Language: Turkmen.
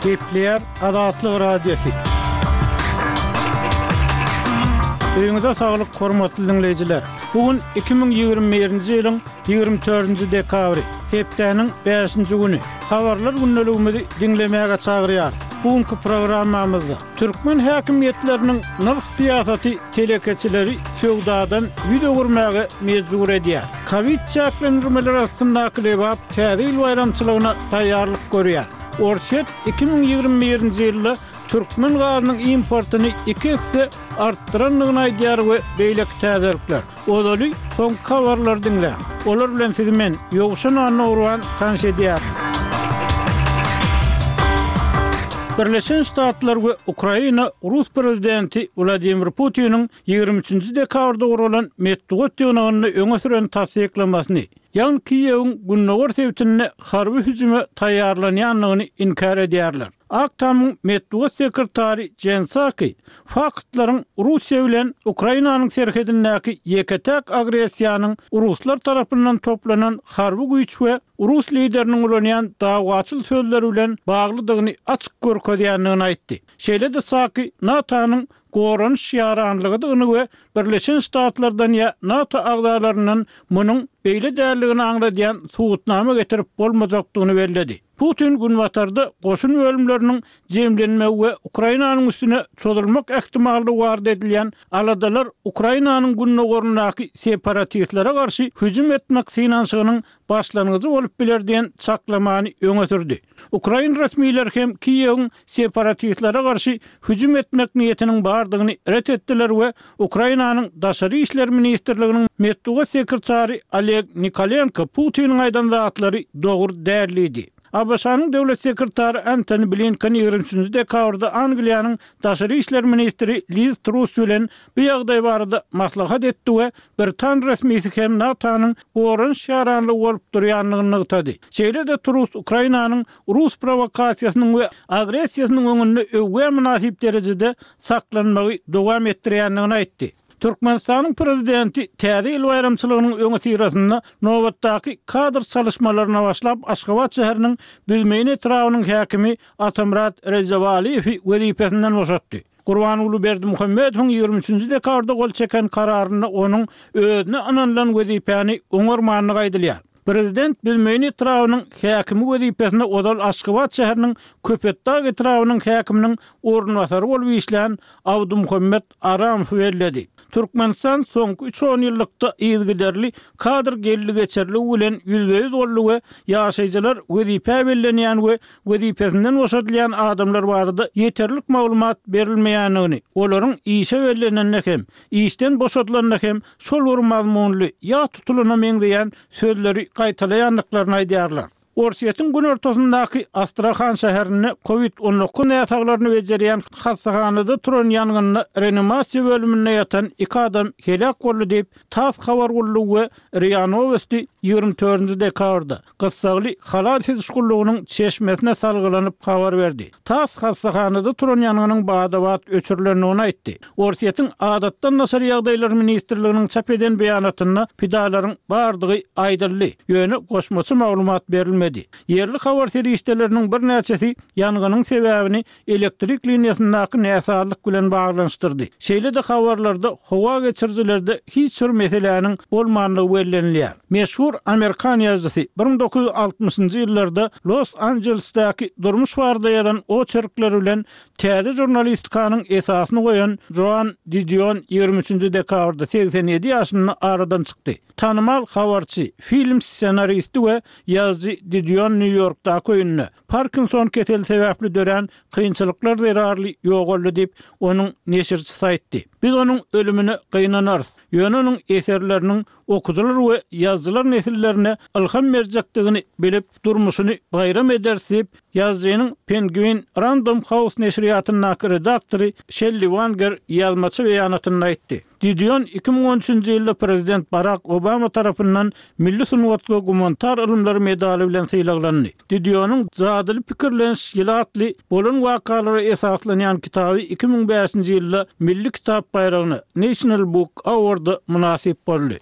Gepleýär Azatlyk Radiosy. Öýüňize saglyk, hormatly diňleýjiler! Bu gün 2021-nji ýylyň 24-nji dekabry, hepdäniň bäşinji güni. Habarlar gündeligimizi diňlemäge çagyrýarys. Bu günki programmamyzda türkmen häkimiýetleriniň nyrh syýasaty telekeçileri söwdadan ýüz öwürmäge mejbur edýär. Kowid çäklendirmeleri astyndaky Lebap Täze ýyl baýramçylygyna taýýarlyk görýär. Orsýet 2021-nji ýylda türkmen gazynyň importyny iki esse artdyrandygyny aýdýar we beýleki täzelikler. Ozaly soňky habarlary diňläň. Olar bilen sizi men, Ýowşan Annagurban tanyş edýärin. Birleşen Ştatlar we Ukraina rus prezidenti Wladimir Putiniň 23-nji dekabrda guralan metbugat ýygnagynda öňe süren tassyklamasyny, ýagny Kiýewiň gündogar sebitinde harby hüjüme taýýarlanýandygyny inkär edýärler. Ak Tamyň metbugat sekretary Jen Psaki faktlaryň Russiýa bilen Ukrainanyň serhedindäki ýeke-täk agressiýanyň ruslar tarapyndan toplanan harby güýç we rus lideriniň ulanýan dawaçyl sözleri bilen baglydygyny açyk görkezýändigini aýtdy. Şeýle-de Psaki NATO-nyň goranyş ýaranlygydygyny we Birleşen Ştatlardan ýa NATO agzalaryndan munuň beýle däldigini aňladýan subutnama getirip bolmajakdygyny belledi. Putin Günbatarda goşun bölümleriniň jemlenmegi we Ukrainanyň üstüne çozulmak ähtimallygy barada edilýän aladalar Ukrainanyň gündogaryndaky separatistlere garşy hüjüm etmek synanyşygynyň başlangyjy bolup biler diýen çaklamany öňe sürdi. Ukrain resmileri hem Kiýewiň separatistlere garşy hüjüm etmek niýetiniň bardygyny ret etdiler we Ukrainanyň Daşary işler ministrliginiň metbugat sekretary Oleg Nikolenko Putiniň aýdan zatlary dogry däl diýdi. ABŞ-nyň döwlet sekretary Antony Blinken 23 nji dekabrda Angliýanyň daşary işler ministri Liz Truss bilen bu ýagdaý barada maslahat etdi we britan resmisi hem NATO-nyň goranyş ýaranlygy bolup durýandygyny nygtady. Şeýle-de Truss Ukrainanyň rus prowokasiýasynyň we agressiýasynyň öňünde öwgä mynasyp derejede saklanmagy dowam etdirýändigini aýtdy. Türkmenistanyň Prezidenti Täze ýyl baýramçylygynyň öňüsyrasynda nobatdaky kadr çalyşmalaryna başlap, Aşgabat şäheriniň Büzmeýin etrabynyň häkimi Atamyrat Rejebalyýewi wezipesinden boşatdy. Gurbanguly Berdimuhamedowyň 23-nji dekabrda gol çeken kararynda onuň özüne ynanylan wezipäni oňarmandygy aýdylýar. Prezident Büzmeýin etrabynyň häkimi wezipesine ozal Aşgabat şäheriniň Köpetdag etrabynyň häkiminiň orunbasary bolup işlän Abdymuhammet Aramowy belledi. Türkmenistan soňky üç onýyllykda yzygiderli kadr geldi-geçerligi bilen ýüzbe-ýüz boldy we ýaşaýjylar wezipä bellenýän we wezipesinden boşadylýan adamlar barada ýeterlik maglumat berilmeýändigini, olaryň işe bellenende hem, işden boşadylanda hem şol bir mazmunly, ýat tutulana meňzeýän sözleri gaýtalaýandyklaryny aýdýarlar. Orsýetiň günortasyndaky Astrahan şäherinde kowid 19 näsaglaryny bejerýän hassahanada turan ýangynda reanimasiýa bölüminde ýatan iki adam heläk boldy diýip, tass habar gullugy we ria Nowosti 24-nji dekabrda, gyssagly halas ediş gullugynyň çeşmesine salgylanyp habar berdi. Tass hassahanada turan ýangynyň bada-bat öçürilendigini aýtdy. Orsýetiň Adatdan daşary ýagdaýlar ministrliginiň çap eden beýanatynda pidalaryň bardygy aýdyldy, ýöne goşmaça maglumat berilmedi. Ýerli habar serişdeleriniň birnäçesi ýangynyň sebäbini elektrik liniýasyndaky näsazlyk bilen baglanyşdyrdy. Şeýle-de habarlarda howa geçirijilerde hiç bir meseläniň bolmandygy bellenilýär. Meşhur amerikan ýazyjysy 1960-njy ýyllarda Los-Anjelesdäki durmuş barada ýazan oçerkleri bilen täze žurnalistikanyň esasyny goýan Joan Didion 23-nji dekabrda 87 ýaşynda aradan çykdy. Tanymal habarçy, film ssenaristi we ýazyjy Didion Nýu-Ýorkdaky öýünde, Parkinson keseli sebäpli dörän kynçylyklar zerarly ýogaldy diýip, onuň neşirçisi aýtdy. Biz onuň ölümine gynanarys, ýöne onuň eserleriniň okyjylar we ýazyjylar nesillerine ylham berjekdigini bilip, durmuşyny baýram ederis diýip, ýazyjynyň Penguin Random House neşirýatyndaky redaktory Şelli Wanger ýazmaça beýanatynda aýtdy. Didion 2013-nji ýylda prezident Barak Obama tarapyndan Milli sungat we gumanitar ylymlar medaly bilen sylaglandy. Didionyň Jadyly pikirleniş ýyly atly bolan wakalara esaslanýan kitaby 2005-nji ýylda Milli kitap baýragyna, National Book Award, mynasyp boldy.